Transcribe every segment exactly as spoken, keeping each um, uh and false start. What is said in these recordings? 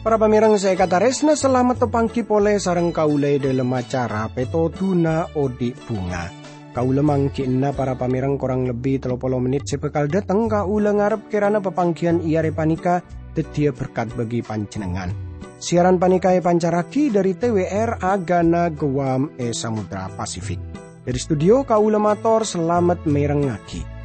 Para pamèrèng sè èkatarèsna, salamet tapangghi polè sareng kaulâ è dhâlem acara Pètodhuna Odi' Bhunga. Kaulâ mangghi'na para pamèrèng korang lebbi tello polo mennit sè bhâkal dhâteng. Kaulâ ngarep kèrana papangghiyân è arè panèka dhâddhiyâ berkat bagi panjhennengngan. Siaran panèka èpancarraghi dhâri T W R Agana Guam è Samudra Pasifik. Dhâri studio kaulâ mator salamet mèrengngaghi.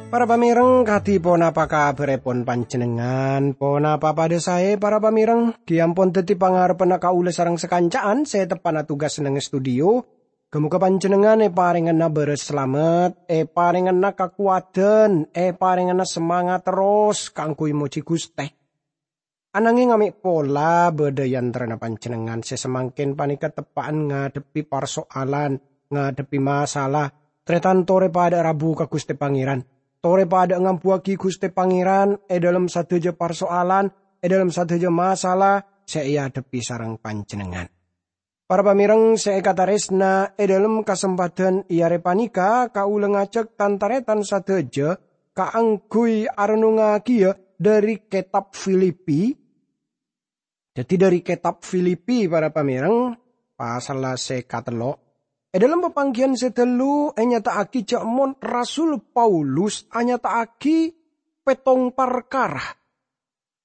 Para pamèrèng, kadhi ponapa kabhârèpon panjhennengngan? Ponapa padhâ saè, para pamèrèng? Ghi' ampon dhâddhi pangarebbhânna kaulâ sareng sakanca'an sè teppa'na tugas neng studio. Ghâ-moghâ panjhennengngan èparèngana bârâs salamet, èparèngana kakowadhân, èparèngana samangat terros kaangghuy mojhi Ghustè. Anangèng amè' pola bâdâ è antarana panjhennengngan sè samangkèn panèka teppa'an ngadhebbhi parsoalan, ngadhebbhi masalah. Tarètan torè padâ rabu ka Ghustè Pangèran. Torè padâ ngambuwâghi Ghustè Pangèran è dhâlem sadhâjâ parsoalan, è dhâlem sadhâjâ masalah sè èadhebbhi sareng panjhennengngan. Para pamèrèng sè èkatarèsna, è dhâlem kasempadhân è arè panèka kaulâ ngajhâk tan-tarètan sadhâjâ kaangghuy arennongngaghiyâ dhâri Kètab Filipi. Dhâddhi, dhâri Kètab Filipi, para pamèrèng, pasalla sè katello'. È dhâlem papangghiyân sè ghâllu ènyata'aghi jhâ' mon Rasul Paulus anyata'aghi pèttong parkara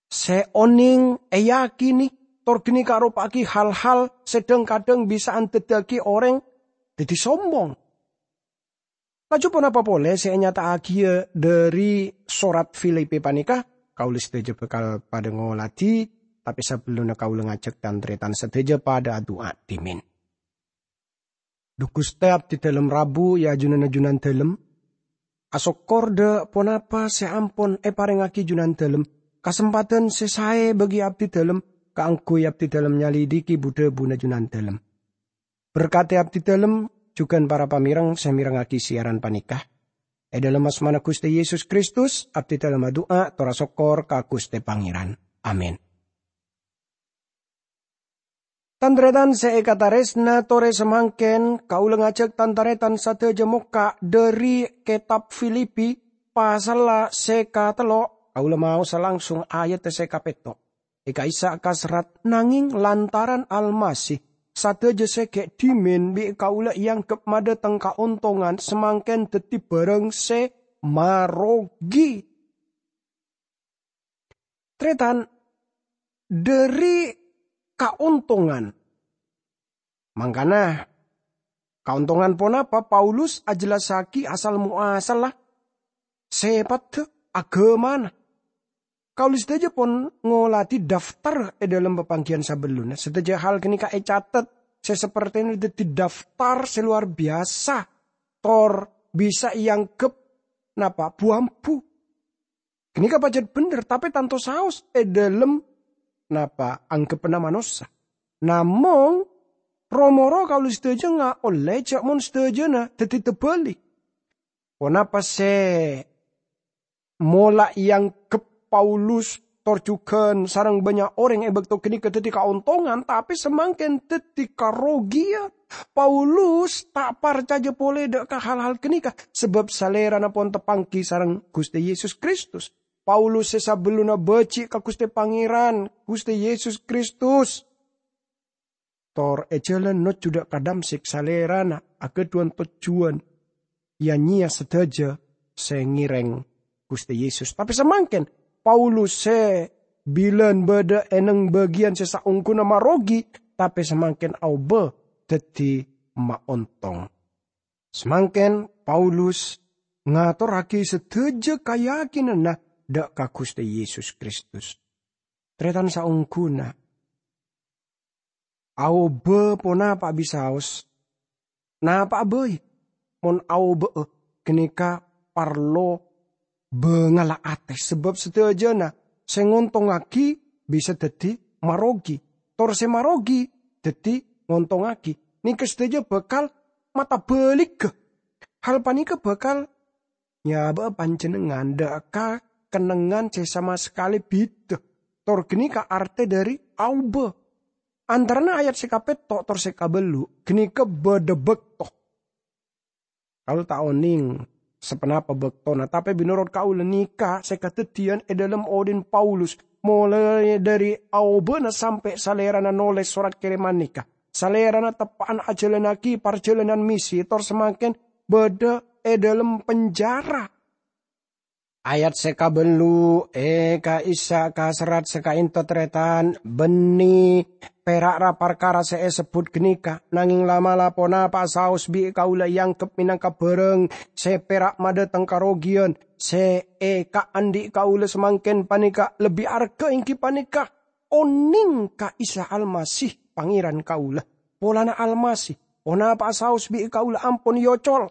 sè onèng èyakini, tor ghânèka aropa'aghi hal-hal sè dhâng-kadhâng bisa andhâddhiyâghi orèng dhâddhi sombong. Laju ponapa polè sè ènyata'aghiyâ dhâri sorat Filipi panèka? Kaulâ sadhâjâ bhâkal padâ ngoladhi, tapè sabellunna kaulâ ngajhâk tan-tarètan sadhâjâ padâ adu'a dhimèn. Dhu Ghustè, abdhi dhâlem rabu è ajunanna Junandhâlem. Asokkor dhâ' ponapa sè ampon èparèngngaghi Junandhâlem, kasempadhân sè saè bagi abdhi dhâlem kaangghuy abdhi dhâlem nyalidhiki bu-dhâbuna Junandhâlem. Berkadhi abdhi dhâlem jhughân para pamèrèng sè mèrengngaghi siaran panèka. È dhâlem asmana Ghustè Yesus Kristus, abdhi dhâlem adu'a tor asokkor ka Ghustè Pangèran. Amin. Tan-tarètan sè èkatarèsna, torè samangkèn kaulâ ngajhâk tan-tarètan sadhâjâ mokka' dhâri Kètab Filipi, pasalla sè katello'. Kaulâ maosa langsung ayat sè kapètto'. È ka'issa' kaserrat, nangèng lantaran Almasih, sadhâjâ sè ghi' dhimèn bi' kaulâ èangghep madhâteng kaontongan samangkèn dhâddhi bhârâng sè marogi. Tarètan, dhâri kaontongan. Mangkana, kaontongan ponapa Paulus ajhellassaghi asal-moasalla sèpaddhâ aghâmana? Kaulâ sadhâjâ pon ngoladhi daftar è dhâlem papangghiyân sabellunna. Sadhâjâ hal ghânèka ècatet sè sapertèna dhâddhi daftar sè lowar biyasa, tor bisa èangghep napa? Bu-ambu. Ghânèka pajhât bhender, tapè tanto saos è dhâlem napa? Angghebbhâna manossa. Namong, ro-moro kaulâ sadhâjâ ngaollè jhâ' mon sadhâjâna dhâddhi terbalik. Ponapa sè mola èangghep Paulus tor jhughân sareng bânnya' orèng è bâkto ghânèka dhâddhi kaontongan, tapè samangkèn dhâddhi karogiyan? Paulus ta' parcajâ polè dhâ' ka hal-hal ghânèka, sabâb salèrana pon tapangghi sareng Ghustè Yesus Kristus. Paulus sè sabellunna bâji' ka Ghustè Pangèran, Ghustè Yesus Kristus. Tor è jhâlân nojjhu dhâ' ka Damsyik, salèrana aghâdhuwân tojjhuwân ya-nyèya sadhâjâ sè ngèrèng Ghustè Yesus. Tapè samangkèn, Paulus sè bilân bâdâ è neng bâgiyân sè saongghuna marogi, tapè samangkèn aobâ dhâddhi maontong. Samangkèn Paulus ngatorraghi sadhâjâ kayakinanna dhâ' ka Ghustè Yesus Kristus. Tarètan saongghuna, aobâ ponapa'a bisaos, napa'a bhâi mon aobâ'â ghânèka parlo bângalla atè, sabâb sadhâjâna sè ngontongngaghi bisa dhâddhi marogi, tor sè marogi dhâddhi ngontongngaghi. Nèka sadhâjâ bhâkal matabhâligghâ. Hal panèka bhâkal nyabâ'â panjhennengngan dâ' ka kennengngan sè sama sakalè bhidhâ. Tor ghânèka artè dhâri aobâ. Antarana ayat sè kapètto' tor sè kabellu', ghânèka bâdâ bâkto. Kaulâ ta' onèng saponapa bâktona, tapè mènorot kaulâ nèka sè kadhâddhiyân è dhâlem odi'na Paulus, molaè dhâri aobâna sampè' salèrana nolès sorat kèrèman nèka. Salèrana teppa'an ajhâlannaghi parjhâlânan misi, tor samangkèn bâdâ è dhâlem penjara. Ayat sè kabellu', è ka'issa' ka serrat sè ka'ènto, tarètan, bânnè pèra' ra parkara sè èsebbhut ghânèka, nangèng la'-mala' ponapa'a saos bi' kaulâ èangghep mènangka bhârâng sè pèra' madâteng karogiyan sè èkaandhi' kaulâ samangkèn panèka lebbi arghâ, èngghi panèka onèng ka Isa Almasih, Pangèran kaulâ. Polana Almasih, ponapa'a saos bi' kaulâ ampon èocol.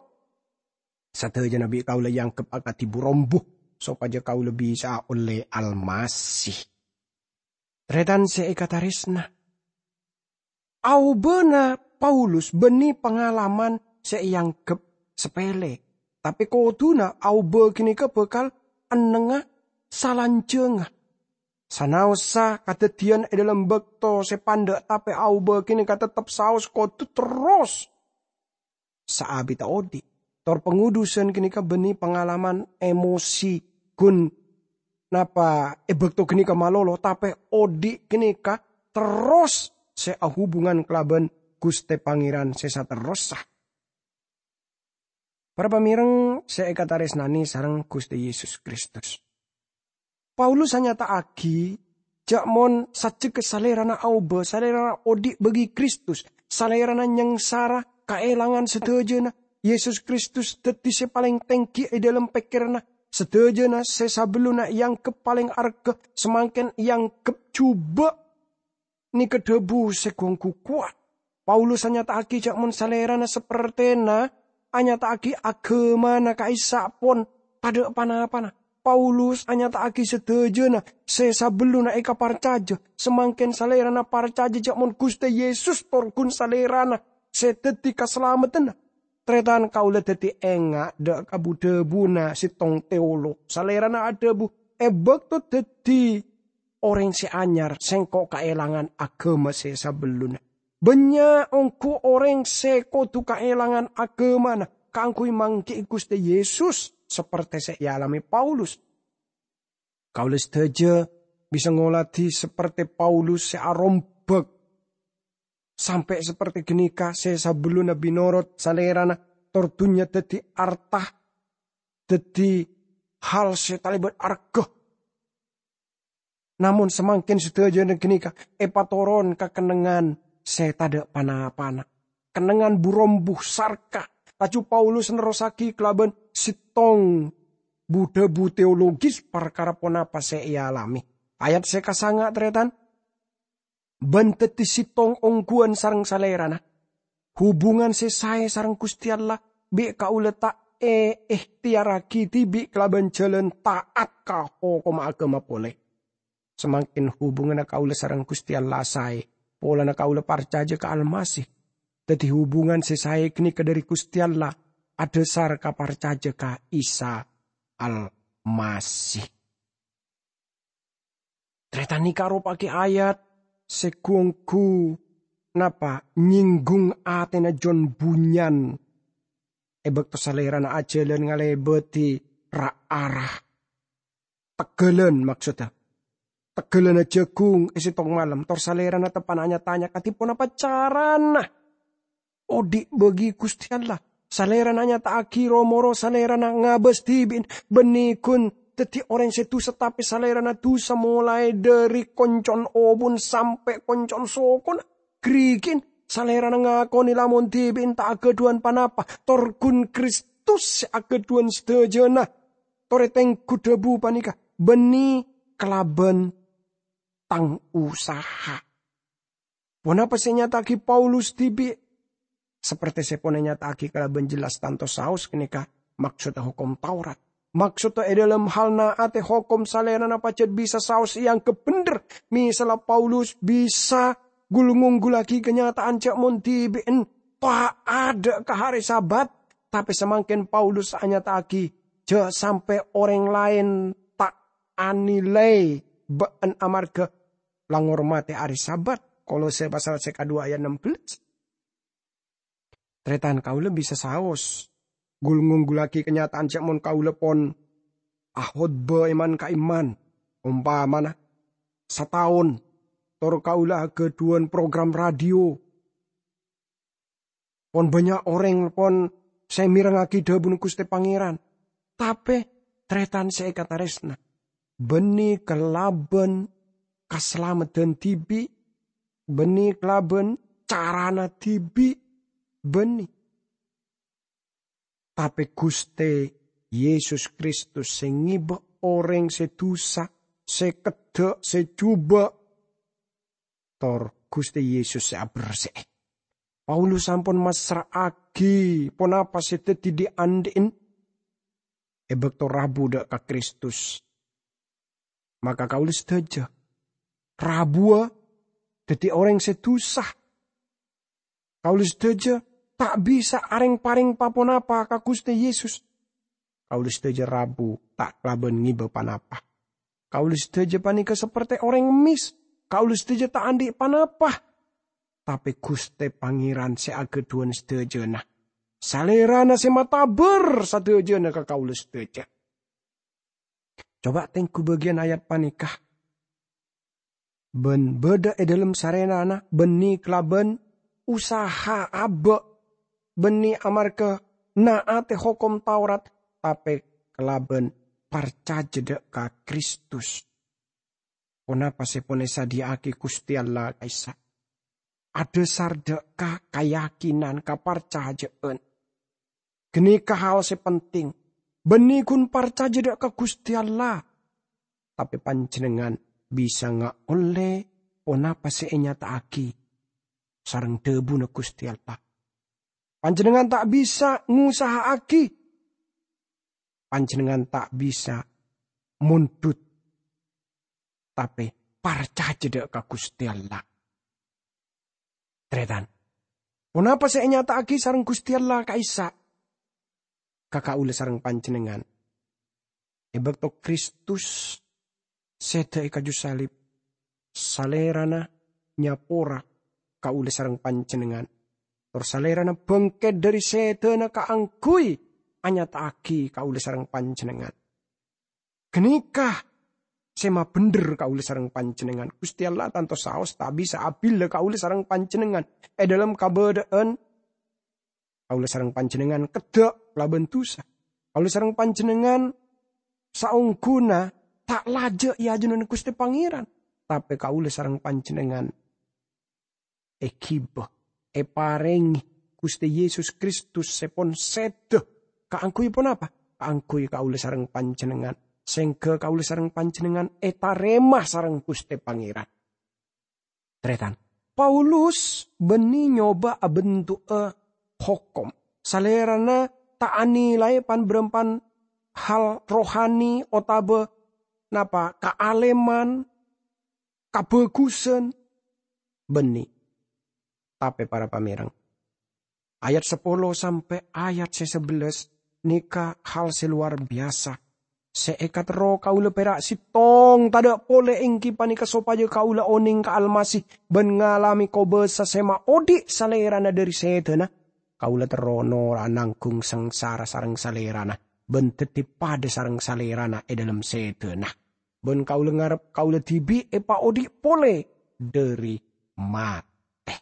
Sadhâjâna bi' kaulâ èangghep akadhi bu-rombu, sopajâ kaulâ bisa'a ollè Almasih. Tarètan sè èkatarèsna, aobâna Paulus bânnè pangalaman sè èangghep sapèlè, tapè kodhuna aobâ ghânèka bhâkal ennengnga salanjhângnga. Sanaossa kadhâddhiyân è dhâlem bâkto sè pandâ', tapè aobâ ghânèka tettep saos kodhu terros saabidhâ odi'. Tor pangodhusan ghânèka bânnè pangalaman emosi, ghun napa è bâkto ghânèka malolo, tapè odi' ghânèka terros sè ahubungan kalabân Ghustè Pangèran sè saterrossa. Para pamèreng sè èkatarèsnanè sareng Ghustè Yesus Kristus. Paulus anyata'aghi jhâ' mon sajjhegghâ salèrana aobâ, salèrana odi' bâgi Kristus, salèrana nyangsara kaèlangan sadhâjâna. Yesus Kristus dhâddhi sè palèng tèngghi è dhâlem pèkkèranna. Sadhâjâna sè sabellunna èangghep palèng arghâ, samangkèn èangghep jhubâ'. Nèka dhâbu sè gu-ongghu kowat. Paulus anyata'aghi jhâ' mon salèrana sapertèna anyata'aghi aghâmana ka'issa' pon tadâ' pa-napana. Paulus anyata'aghi sadhâjâna sè sabellunna èkaparcajâ, samangkèn salèrana parcajâ jhâ' mon Ghustè Yesus tor ghun salèrana sè dhâddhi kasalamedhânna. Tarètan, kaulâ dhâddhi enga' dâ' ka bu-dhâbuna sèttong teolog. Salèrana adhâbu, "È bâkto dhâddhi orèng sè anyar, sèngko' kaèlangan aghâma sè sabellunna." Bânnya' ongghu orèng sè kodhu kaèlangan aghâmana kaangghuy mangghi'i Ghustè Yesus, sapertè sè èalamè Paulus. Kaulâ sadhâjâ bisa ngoladhi sapertè Paulus sè arombhâk sampè' sapertè ghânèka, sè sabellunna bhinorot salèrana tor dhunnya dhâddhi arta, dhâddhi hal sè talèbât arghâ. Namong samangkèn sadhâjâna ghânèka èpatoron ka kennengngan sè tadâ' pa-napana, kennengngan bu-rombu, sarka. Laju Paulus nerrossaghi kalabân sèttong bu-dhâbu teologis parkara ponapa sè èalamè. Ayat sè kasanga', tarètan, "Bân dhâddhi sèttong ongghuwân sareng Salèrana. Hubungan sè saè sareng Ghustè Allah bi' kaulâ ta' èehtèyarraghi dhibi' kalabân jhâlân ta'at ka hokomma aghâma polè. Samangkèn hubunganna kaulâ sareng Ghustè Allah saè, polana kaulâ parcajâ ka Almasih. Dhâddhi hubungan sè saè ghânèka dhâri Ghustè Allah, adhâsar ka parcajâ ka Isa Almasih." Tarètan, nèka aropa'aghi ayat sè gu-ongghu napa nyèngghung atèna Jon Bunyan è bâkto Salèrana ajhâlân ngalèbâdhi ra-ara. Tegghâlân, maksodda. Tegghâlânna jhâghung è sèttong malem, tor Salèrana teppa'na nya-tanya kadhi ponapa carana odhi' bâgi Ghustè Allah. Salèrana nyata'aghi ro-moro Salèrana ngabâs dhibi'na, bânnè ghun dhâddhi orèng sè dhusa, tapè Salèrana dhusa molaè dhâri konco'na obuna sampè' konco'na sokona. Ghârighi'na, Salèrana ngakonè lamon dhibi'na ta' aghâdhuwân ponapa, tor ghun Kristus sè aghâdhuwân sadhâjâna. Torè tengghu dhâbu panèka, bânnè kalabân tang usaha. Ponapa sè ènyata'aghi Paulus dhibi'? Sapertè sè pon ènyata'aghi kalabân jelas tanto saos ghânèka maksodda Hokom Taurat. Maksodda è dhâlem hal na'atè hokom Salèrana pajhât bisa saos èangghep bhendher. Misalla Paulus bisa ghul-ngonggullaghi kanyata'an jhâ' mon dhibi'en ta' adâ' ka hari Sabat, tapè samangkèn Paulus anyata'aghi, "Jhâ' sampè' orèng laèn ta' anilai bâ'en amarghâ la ngormadhi hari Sabat." Kolose pasal sè kadhuwâ ayat ennem belas. Tarètan, kaulâ bisa saos ghul-ngonggullaghi kanyata'an jhâ' mon kaulâ pon akhotbah è man-ka'imman, ompamana sataon, tor kaulâ aghâdhuwân program radio. Pon bânnya' orèng pon sè mèrengngaghi dhâbuna Ghustè Pangèran. Tapè, tarètan sè èkatarèsna, bânnè kalabân kasalameddhân dhibi', bânnè kalabân carana dhibi', bânnè. Tapè Ghustè Yesus Kristus sè ngèbâ orèng sè dusa, sè keddhâ', sè jhubâ', tor Ghustè Yesus sè abersè'è. Paulus sampon massra'aghi ponapa sè dhâddhi dhi'-andhi'en è bâkto rabu dâ' ka Kristus. Maka kaulâ sadhâjâ rabuwâ dhâddhi orèng sè dusa. Kaulâ sadhâjâ ta' bisa arèng-parèng pa-ponapa ka Ghustè Yesus. Kaulâ sadhâjâ rabu ta' kalabân ngèbâ ponapa. Kaulâ sadhâjâ panèka sapertè orèng mès. Kaulâ sadhâjâ ta' andi' ponapa. Tapè Ghustè Pangèran sè aghâdhuwân sadhâjâna. Salèrana sè matabâr sadhâjâna ka kaulâ sadhâjâ. Coba tèngghu bâgiyân ayat panèka. Bân bâdâ è dhâlem Salèrana, bânnè kalabân usaha abâ', bânnè amarghâ na'atè hokom Taurat, tapè kalabân parcajâ dâ' ka Kristus. Ponapa sè pon èsadhiyâ'aghi Ghustè Allah ka'issa'? Adhâsar dâ' ka kayakinan, kaparcajâ'ân. Ghânèka hal sè penting. Bânnè ghun parcajâ dâ' ka Ghustè Allah. Tapè panjhennengngan bisa ngaollè ponapa sè ènyata'aghi sareng dhâbuna Ghustè Allah. Panjhennengngan ta' bisa ngusaha'aghi. Panjhennengngan ta' bisa mondhut. Tapè parcajâ dâ' ka Ghustè Allah. Tarètan, ponapa sè ènyata'aghi sareng Ghustè Allah ka'issa' ka kaulâ sareng panjhennengngan? È bâkto Kristus sèdhâ è kaju salib, Salèrana nyapora kaulâ sareng panjhennengngan. Tor Salèrana bângkèt dâri sèdhâna kaangghuy anyata'aghi kaulâ sareng panjhennengngan. Ghânèka sè mabhendher kaulâ sareng panjhennengngan. Ghustè Allah tanto saos ta' bisa abhilâ kaulâ sareng panjhennengngan è dhâlem kabâdâ'ân kaulâ sareng panjhennengngan keddhâ' kalabân dusa. Kaulâ sareng panjhennengngan saongghuna ta' lajâ' è ajunanna Ghustè Pangèran, tapè kaulâ sareng panjhennengngan èghibâ, èparèngè Ghustè Yesus Kristus sè pon sèdhâ. Kaangghuy ponapa? Kaangghuy kaulâ sareng panjhennengngan, sèngghâ kaulâ sareng panjhennengngan ètarèma sareng Ghustè Pangèran. Tarètan, Paulus bânnè nyoba abentu'a hokom. Salèrana ta' anilai pan-bârâmpan hal rohani otabâ napa kaalèman, kabhâghusân, bânnè. Tapè para pamèreng, ayat sapolo sampè' ayat sè sabellâs nèka hal sè lowar biyasa. Sè èkaterro kaulâ pèra' sèttong tadâ' polè èngghi panèka sopajâ kaulâ onèng ka Almasih bân ngalamè kobâsa sè maodhi' Salèrana dâri sèdhâna. Kaulâ terro noro'a nangghung sangsara sareng Salèrana bân dhâddhi padâ sareng Salèrana è dhâlem sèdhâna. Bân kaulâ ngarep kaulâ dhibi' èpaodhi' polè dâri matè.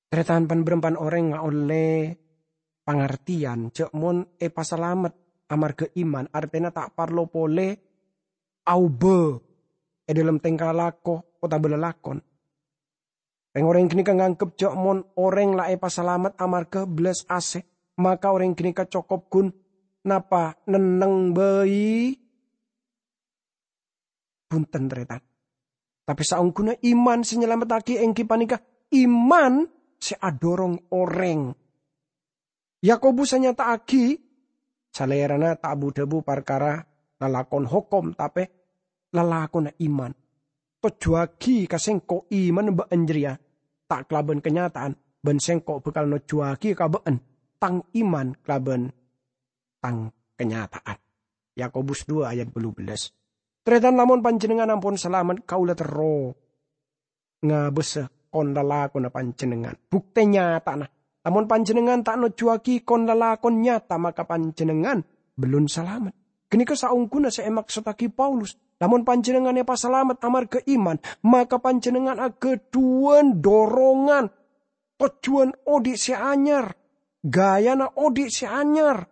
Tarètan, pan-bârâmpan orèng ngaollè pangartèyan jhâ' mon èpasalamet amarghâ iman, artèna ta' parlo polè aobâ è dhâlem tèngka lako otabâ lalakon. Rèng-orèng ghânèka nganggep jhâ' mon orèng la èpasalamet amarghâ bellas asè, maka orèng ghânèka cokop ghun napa nenneng bhâi. Bhunten, tarètan. Tapè saongghuna iman sè nyalamettaghi èngghi panèka iman sè adhârong orèng. Yakobus anyata'aghi, Salèrana ta' bu-dhâbu parkara lalakon hokom, tapè lalakonna iman. Tojjhuwâghi ka sèngko' imanna bâ'ân jârèya, ta' kalabân kanyata'an, bân sèngko' bhâkal nojjhuwâghi ka bâ'ân tang iman kalabân tang kanyata'an. Yakobus dua ayat bâllu bellâs. Tarètan, lamon panjhennengngan ampon salamet, kaulâ terro ngabâsa kon-lalakonna panjhennengngan. Buktè nyatana, lamon panjhennengngan ta' nojjhuwâghi kon-lalakon nyata, maka panjhennengngan bellun salamet. Ghânèka saongghuna sè èmaksoddhâghi Paulus. Lamon panjhennengngan èpasalamet amarghâ iman, maka panjhennengngan aghâdhuwân dorongan tojjhuwân odi' sè anyar, ghâjâna odi' sè anyar.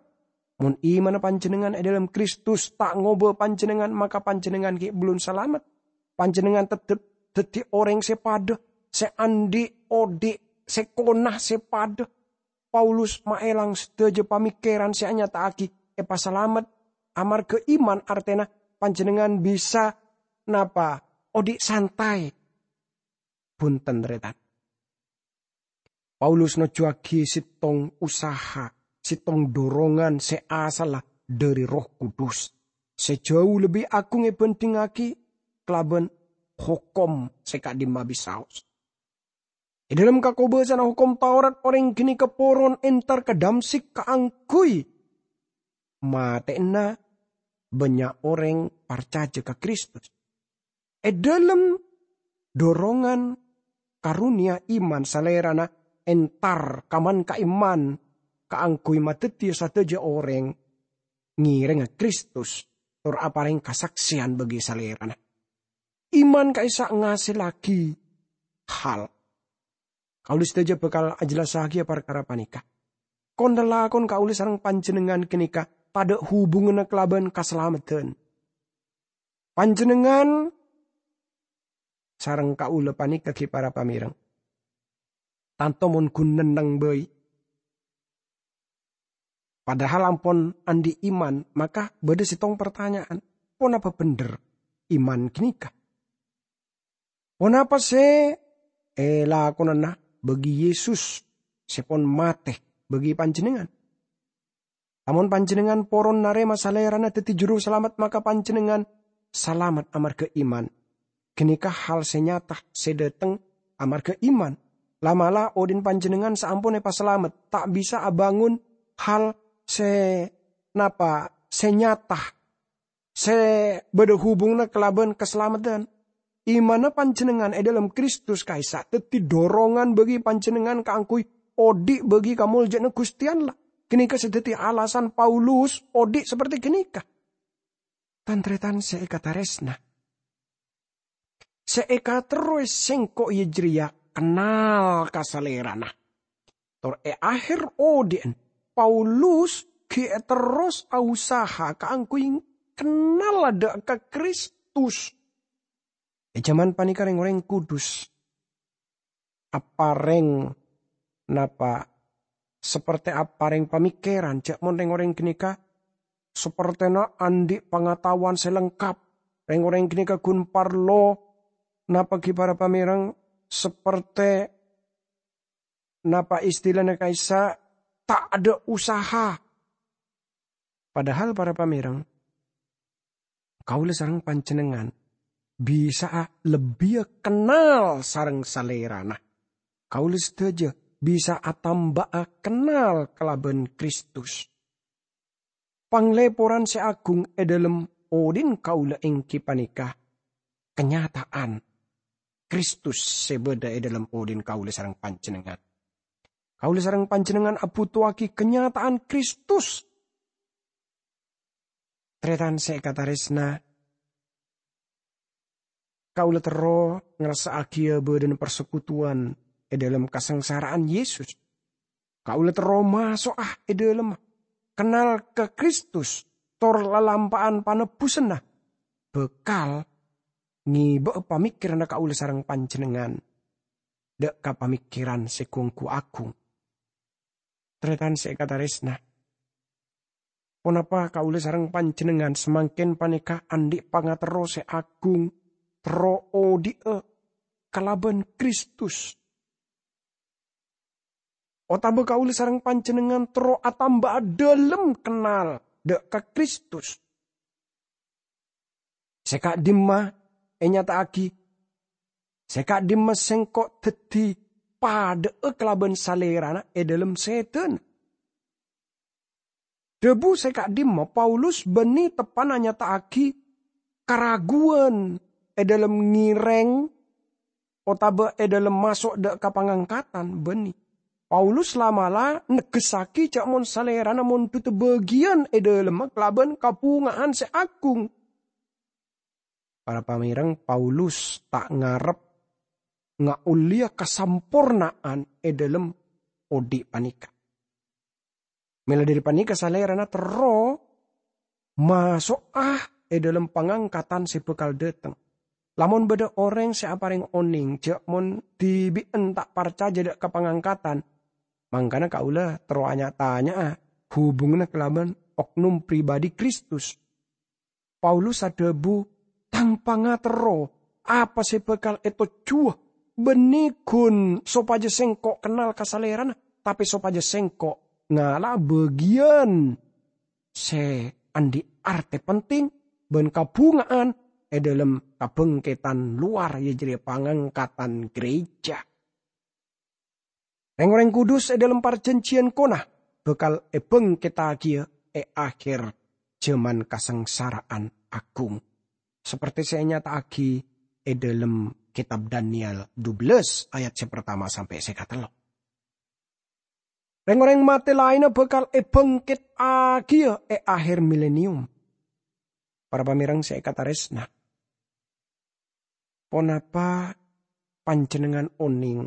Mon imanna panjhennengngan è dhâlem Kristus ta' ngobâ panjhennengngan, maka panjhennengngan ghi' bellun salamet. Panjhennengngan teptep dhâddhi orèng sè padâ, sè andi' odi' sè kona sè padâ. Paulus maèlang sadhâjâ pamèkkèran sè anyata'aghi èpasalamet amarghâ iman, artèna panjhennengngan bisa napa? Odi' santai. Bhunten, tarètan. Paulus nojjhuwâghi sèttong usaha, sèttong dorongan sè asalla dhâri Erroh Kudus, sè jhâu lebbi agung èbhândhingngaghi kalabân hokom sè ka'dimma bisaos. È dhâlem kakobâsana Hokom Taurat, orèng ghânèka poron entar ka Damsyik kaangghuy matè'ana bânnya' orèng parcajâ ka Kristus. È dhâlem dorongan karonèya iman, Salèrana entar kaman-ka'imman kaangghuy madhâddhiyâ sadhâjâ orèng ngèrèngnga Kristus tor aparèng kasaksèyan bagi Salèrana. Iman ka'issa' ngasellaghi hal. Kaulâ sadhâjâ bhâkal ajhellassaghiyâ parkara panèka. Kon-lalakon kaulâ sareng panjhennengngan ghânèka tadâ' hubunganna kalabân kasalameddhân. Panjhennengngan sareng kaulâ panèka ghi' para pamèreng. Tanto mon ghun nenneng bhâi. Padahal ampon andi' iman, maka bâdâ sèttong partanya'an, ponapa bhendher iman ghânèka? Ponapa sè èlakonana bagi Yesus sè pon matè bagi panjhennengngan? Lamon panjhennengngan poron narèma Salèrana dhâddhi Juru Salamet, maka panjhennengngan salamet amarghâ iman. Ghânèka hal sè nyata sè dhâteng amarghâ iman. La'-mala' odi'na panjhennengngan saampon èpasalamet ta' bisa abângon hal sè napa sè nyata sè bâdâ hubunganna kalabân kasalameddhân. Imanna panjhennengngan è dhâlem Kristus ka'issa' dhâddhi dorongan bagi panjhennengngan kaangghuy odi' bagi kamoljâ'ânna Ghustè Allah. Ghânèka sè dhâddhi alasan Paulus odi' saperti ghânèka. Tan-tarètan sè èkatarèsna, sè èkaterrowè sèngko' iyâ jârèya kennal ka Salèrana. Tor è aher odi'na, Paulus ghi' terros ausaha kaangghuy kennal adâ' ka Kristus. È jhâman panèka rèng-orèng Kudus aparèng napa? Sapertè aparèng pamèkkèran, jhâ' mon rèng-orèng ghânèka sapertèna andi' pangataowan sè lengkap. Rèng-orèng ghânèka ghun parlo napa ghi' para pamèreng sapertè napa istilana ka'issa' ta' adâ' usaha. Padahal para pamèreng, kaulâ sareng panjhennengngan bisa'a lebbiyâ kennal sareng Salèrana. Kaulâ sadhâjâ bisa atamba'a kennal kalabân Kristus. Panglèporan sè agung è dhâlem odi'na kaulâ èngghi panèka kanyata'an Kristus sè bâdâ è dhâlem odi'na kaulâ sareng panjhennengngan. Kaulâ sareng panjhennengngan abhutoaghi kanyata'an Kristus. Tarètan sè èkatarèsna, kaulâ terro ngarassa'aghiyâ bâdâna parsekutuwan è dhâlem kasangsara'an Yesus. Kaulâ terro maso'a è dhâlem kennal ka Kristus, tor lalampa'an panebbhusânna bhâkal ngèbâ'â pamèkkèranna kaulâ sareng panjhennengngan dâ' ka pamèkkèran sè gu-ongghu agung. Tarètan sè èkatarèsna, ponapa kaulâ sareng panjhennengngan samangkèn panèka andi' pangaterro sè agung, terro odi'â kalabân Kristus? Otabâ kaulâ sareng panjhennengngan terro atamba'a dhâlem kennal dâ' ka Kristus. Sè ka'dimma ènyata'aghi, sè ka'dimma sengko' dhâddhi padâ'â kalabân Salèrana è dhâlem sèdhâna. Dhâbu sè ka'dimma Paulus bânnè teppa'na nyata'aghi karaguwân è dhâlem ngèrèng otabâ è dhâlem maso' dâ' ka pangangkatan bânnè. Paulus la'-mala' negghessaghi jâ' mon Salèrana mondhudhâ bâgiyân è dhâlemma kalabân kabhunga'an sè agung. Para pamèrèng, Paulus ta' ngarep ngaollèya kasamporna'an è dhâlem odi' panèka. Mèla dhâri panèka, Salèrana terro maso'a è dhâlem pangangkatan sè bhâkal dhâteng. Lamon bâdâ orèng sè aparèng onèng jâ' mon dhibi'en ta' parcajâ dâ' ka pangangkatan, mangkana kaulâ terro nya-tanya'a hubunganna kalabân oknum pribadi Kristus. Paulus adhâbu, "Tang pangaterro apa sè bhâkal ètojjhuwâ bânnè ghun sopajâ sèngko' kennal ka Salèrana, tapè sopajâ sèngko' ngala'a bâgiyân sè andi' artè penting bân kabhunga'an è dhâlem kabhângketan lowar, iyâ jârèya pangangkatan gereja." Rèng-orèng kudus è dhâlem parjhânjhiyân kona bhâkal èbhângkettaghiyâ è akhèr jhâman kasangsara'an agung, sapertè sè ènyata'aghi è dhâlem kètab Daniel dubellâs ayat sè partama sampè' sè katello. Rèng-orèng matè laènna bhâkal èbhângkettaghiyâ è akhèr milenium. Para pamèrèng sè èkatarèsna, ponapa panjhennengngan onèng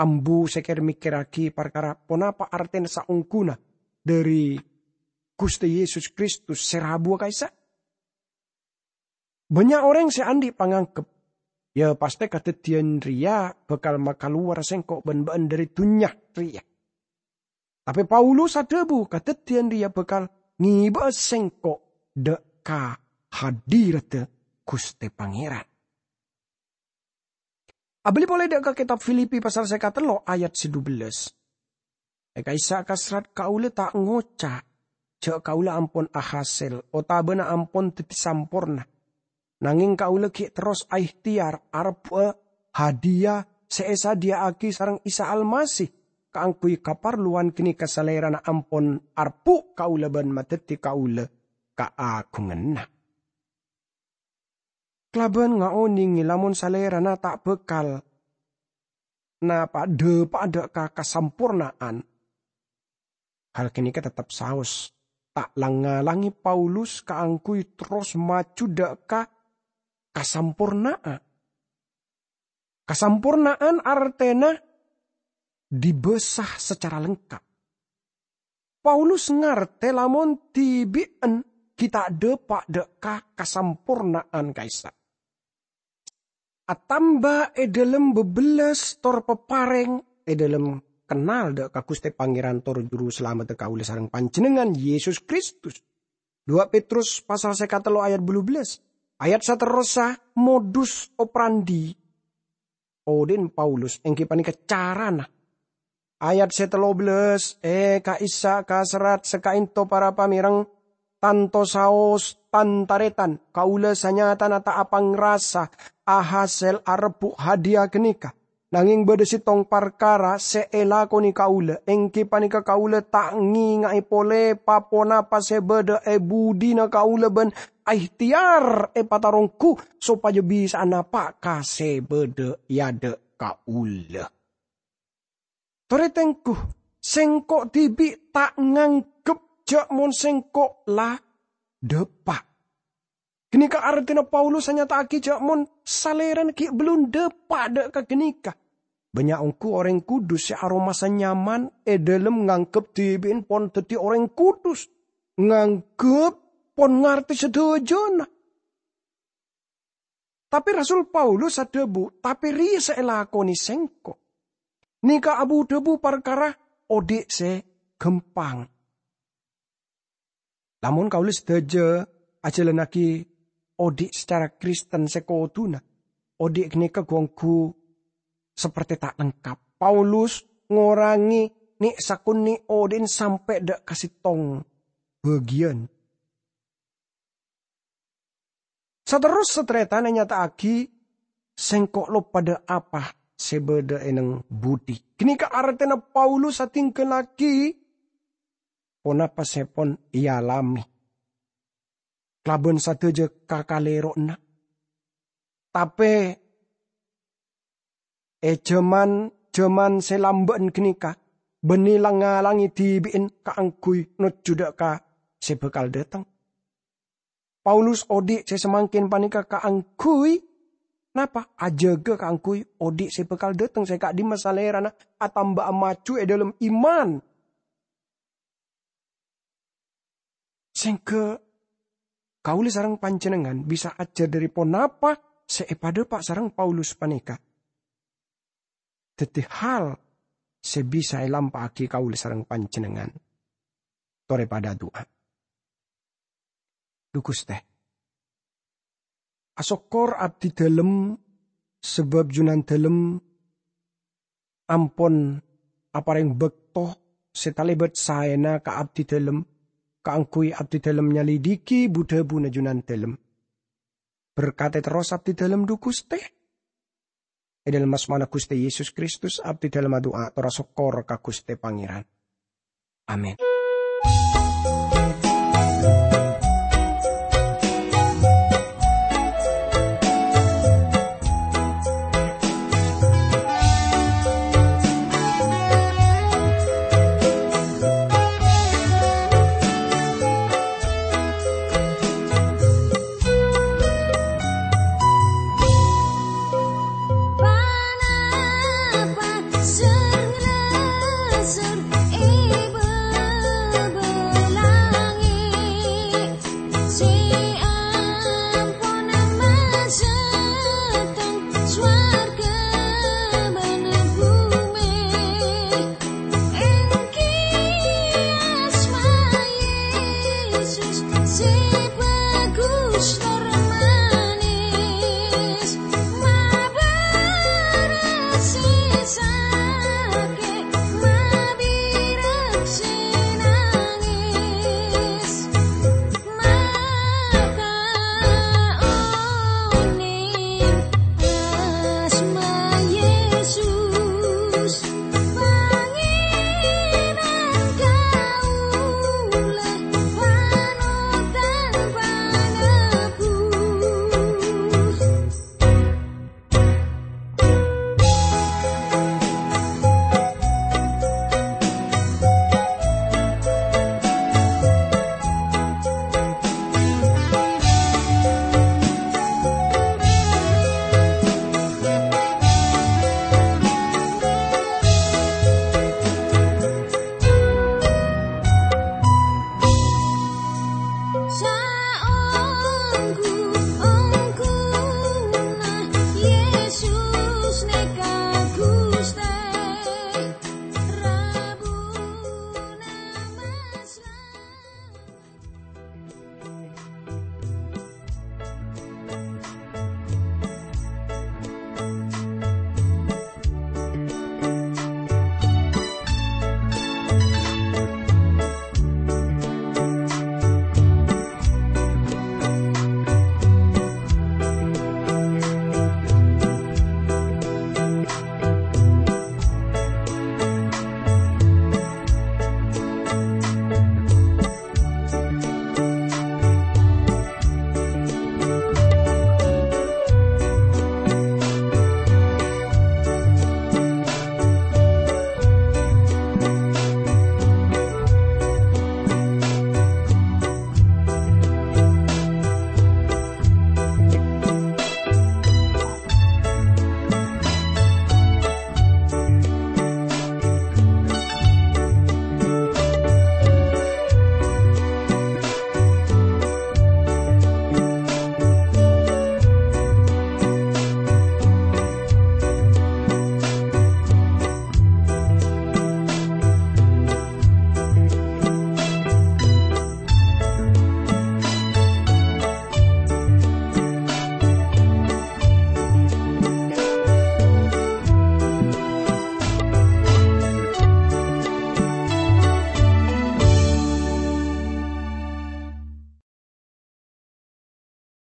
ambu sè kèr-mèkkèrraghi parkara ponapa artèna saongghuna dhâri Ghustè Yesus Kristus sè rabuwâ ka'issa'? Bânnya' orèng sè andi' pangangghep, "Yâ, pastè kadhâddhiyân rèya bhâkal makalowar sèngko' bân bâ'ân dhâri dhunnya rèya." Tapè Paulus adhâbu, "Kadhâddhiyân rèya bhâkal ngèbâ'â sèngko' dâ' ka hadiradda Ghustè Pangèran." Abâli polè dâ' ka kètab Filipi pasal sè katello ayat sè dubellâs. È ka'issa' ka serrat kaulâ ta' ngoca' jâ' kaulâ ampon ahasèl otabâna ampon dhâddhi samporna. Nangèng kaulâ ghi' terros aèhtèyar arebbhu'â hadiya sè èsadhiyâ'aghi sareng Isa Almasih kaangghuy kaparlowan ghânèka Salèrana ampon arebbhu' kaulâ bân madhâddhi kaulâ kaagunganna. Kalabân ngaonèngè lamon Salèrana ta' bhâkal napa-, dhâpa'a dâ' ka kasamporna'an, hal ghânèka teptep saos ta' lang-ngalangè Paulus kaangghuy terros maju dâ' ka kasamporna'an. Kasamporna'an artèna dibâsa sacara lengkap. Paulus ngartè lamon dhibi'en ghi' ta' dhâpa' dâ' ka kasamporna'an ka'issa'. Atamba è dhâlem bâbellâs tor paparèng è dhâlem kennal dâ' ka Ghustè Pangèran tor Juru Salameddhâ kaulâ sareng panjhennengngan, Yesus Kristus. Dua Petrus pasal sè katello ayat bâllu bellâs. Ayat saterrossa modus operandi odi'na Paulus èngghi panèka carana. Ayat sè tello bellâs, è ka'issa' ka serrat sè ka'ènto para pamèrèng, tanto saos, tan-tarètan, kaulâ sanyatana ta' apangrasa ahasèl arebbhu' hadiya ghânèka. Nangèng bâdâ sèttong parkara sè èlakonè kaulâ, èngghi panèka kaulâ ta' ngènga'è polè pa-ponapa sè bâdâ è budina kaulâ bân aèhtèyar èpataronggu sopajâ bisa'a napa' ka sè bâdâ è adâ' kaulâ. Torè tengghu, sèngko' dhibi' ta' nganggep jâ' mon sèngko' la dhâpa'. Ghânèka artèna Paulus anyata'aghi jâ' mon Salèrana ghi' bellun dhâpa' dâ' ka ghânèka. Bânnya' ongghu orèng kudus sè aromasa nyaman è dhâlem nganggep dhibi'en pon dhâddhi orèng kudus, nganggep pon ngartè sadhâjâna. Tapè Rasul Paulus adhâbu, "Tapè rèya sè èlakonè sèngko'." Nèka abu-dhâbu parkara odi' sè ghâmpang. Lamon kaulâ sadhâjâ ajhâlannaghi odi' sacara Kristen sè kodhuna, odi' ghânèka ghu-ongghu sapertè ta' lengkap. Paulus ngorangè nè'-sakonè' odi'na sampè' dâ' ka sèttong bâgiyân. Saterrossa tarètan ènyata'aghi, "Sèngko' loppa dâ' apa sè bâdâ è neng budi." Ghânèka artèna Paulus adhingghâllaghi ponapa sè pon èalamè kalabân sadhâjâ kakalèro'na. Tapè è jhâman-jhâman sè lambâ'ân ghânèka, bânnè lang-ngalangè dhibi'en kaangghuy nojjhu dâ' ka sè bhâkal dâteng. Paulus odi' sè samangkèn panèka kaangghuy napa? Ajâgâ kaangghuy odi' sè bhâkal dâteng, sè ka'dimma salèrana atamba'a maju è dâlem iman. Sèngghâ kaulâ sareng panjhennengngan bisa ajhâr dhâri ponapa sè èpadhâpa' sareng Paulus panèka. Dhâddhi hal sè bisa èlampa'aghi kaulâ sareng panjhennengngan. Torè padhâ adu'a. Dhu Ghustè, asokkor abdhidhâlem, sabâb Junandhâlem ampon aparèng bâkto sè talèbât saèna ka abdhidhâlem, kaangghuy abdhidhâlem nyalidhighi bu-dhâbuna Junandhâlem. Berkadhi terros abdhidhâlem, dhu Ghustè. È dâlem asmana Ghustè Yesus Kristus, abdhidhâlem adu'a tor asokkor ka Ghustè Pangèran. Amin.